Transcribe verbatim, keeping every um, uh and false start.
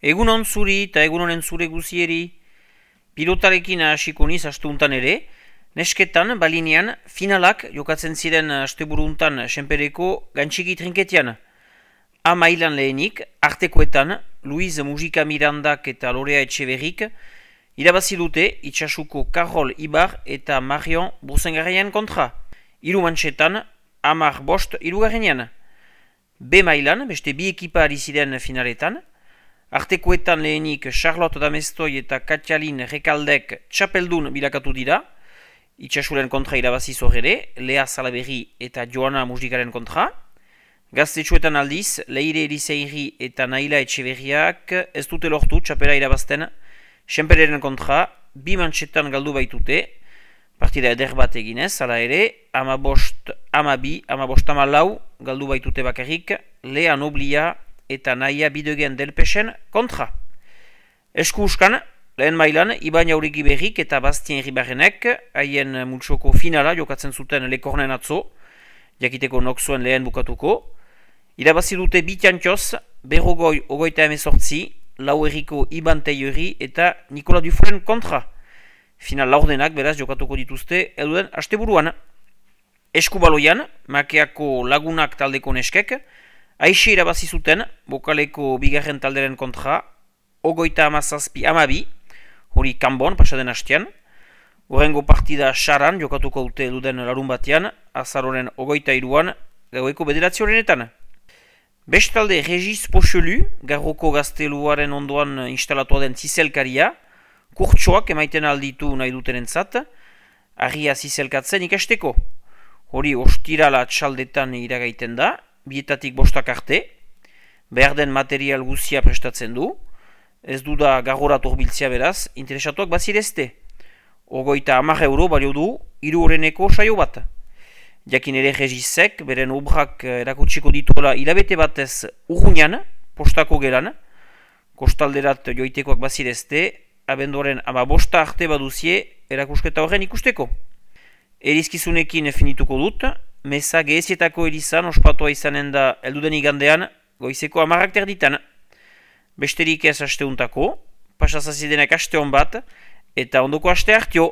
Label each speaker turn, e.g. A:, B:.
A: Egunon zuri eta egunonen zure guzieri, pilotarekin hasiko niz asteuntan ere, nesketan, balinean, finalak jokatzen ziren asteburuntan senpereko gantxiki trinketian. A mailan lehenik, artekoetan, Luiz Mujika Mirandak eta Lorea Etxeberrik, irabazi dute itxasuko Karol Ibar eta Marion Burzengarrian kontra. Hiru mantxetan, hamar bost hirugarrenean. B mailan, beste bi ekipa ari ziren finaletan, artekoetan lehenik Charlotte Damestoi eta Katjalin Rekaldek txapeldun bilakatu dira, itxasuren kontra irabazi zorere, Lea Salaberri eta Joana Mujikaren kontra. Gaztetxuetan aldiz, Leire Eliseiri eta Naila Etxeberriak ez dute lortu txapela irabazten senpereren kontra, bi mantxetan galdu baitute, partida eder bat eginez, hala ere, ama bost, ama bi, ama bost ama lau galdu baitute bakarrik, Lea Noblia eta Naia Bidegen Delpesen kontra. Esku uskan, lehen mailan, Iban Jauregi Berrik eta Bastien Ribarrenek, haien multsoko finala jokatzen zuten Lekornen atzo, jakiteko nok zuen lehen bukatuko. Irabazi dute bitantioz, berrogoi ogoita emezortzi, lau erriko Iban Teiori eta Nikola Duforen kontra. Final laurdenak beraz jokatuko dituzte elduden asteburuan. Eskubaloian, Makeako Lagunak taldeko neskek, aixe irabazi zuten, bokaleko bigarren talderen kontra, ogoita amazazpi amabi, hori kanbon pasaden hastean. Horrengo partida Saran jokatuko dute elduden larun batean, azaroren ogoita iruan, gaueko bederatzi horrenetan. Bestalde Regis Pochelu, Garroko gazteluaren ondoan instalatua den zizelkaria, kurtsoak emaiten alditu nahi dutenentzat, argia zizelkatzen ikasteko. Hori ostirala txaldetan iragaiten da, bietatik bostak arte, behar den material guzia prestatzen du, ez du da garrorat horbiltzea beraz, interesatuak bazirezte. Ogoita hamar euro balio du, hiru horreneko saio bat. Jakin ere Regisek, beren obrak erakutsiko dituela hilabete batez urruñan, postako gelan, kostalderat joitekoak bazirezte, abenduaren ama bosta arte baduzie erakusketa horren ikusteko. Erizkizunekin finituko dut, meza gehezietako erizan ospatua izanen da elduden igandean goizeko amarrak terditan. Besterik ez asteuntako, pasazazidenak aste hon bat, eta ondoko aste hartio.